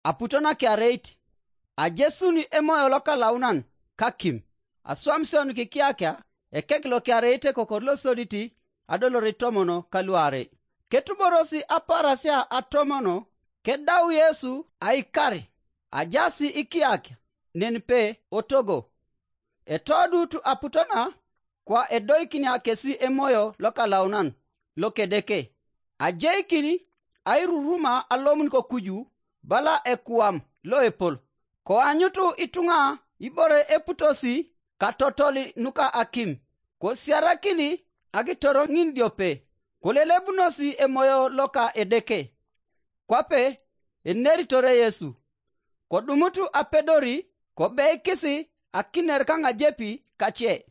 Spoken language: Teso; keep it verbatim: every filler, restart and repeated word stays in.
aputo nakiareit, ajesun emoyo lokalaunan kakim, aswamisio nukikiakia ekek lokiareit ekokor losodit adolore tomono kaluarei. Ketuborosi aparasia atomono, kedau Yesu aikar, ajasi ikiakia nenipe otogo. Etodut aputona kwa edoikinia kesi emoyo lokalaunan lokedeke, ajeikin airuruma alomun kokuju bala ekuam loepol, koanyutu ituŋa ibore eputosi katotoli nuka akim, kosiarakini akitor ŋin diope, kolelebunosi emoyo loka Edeke. Kwape eneritore Yesu, kodumut apedori, kobeikisi akiner kaŋajepi kace.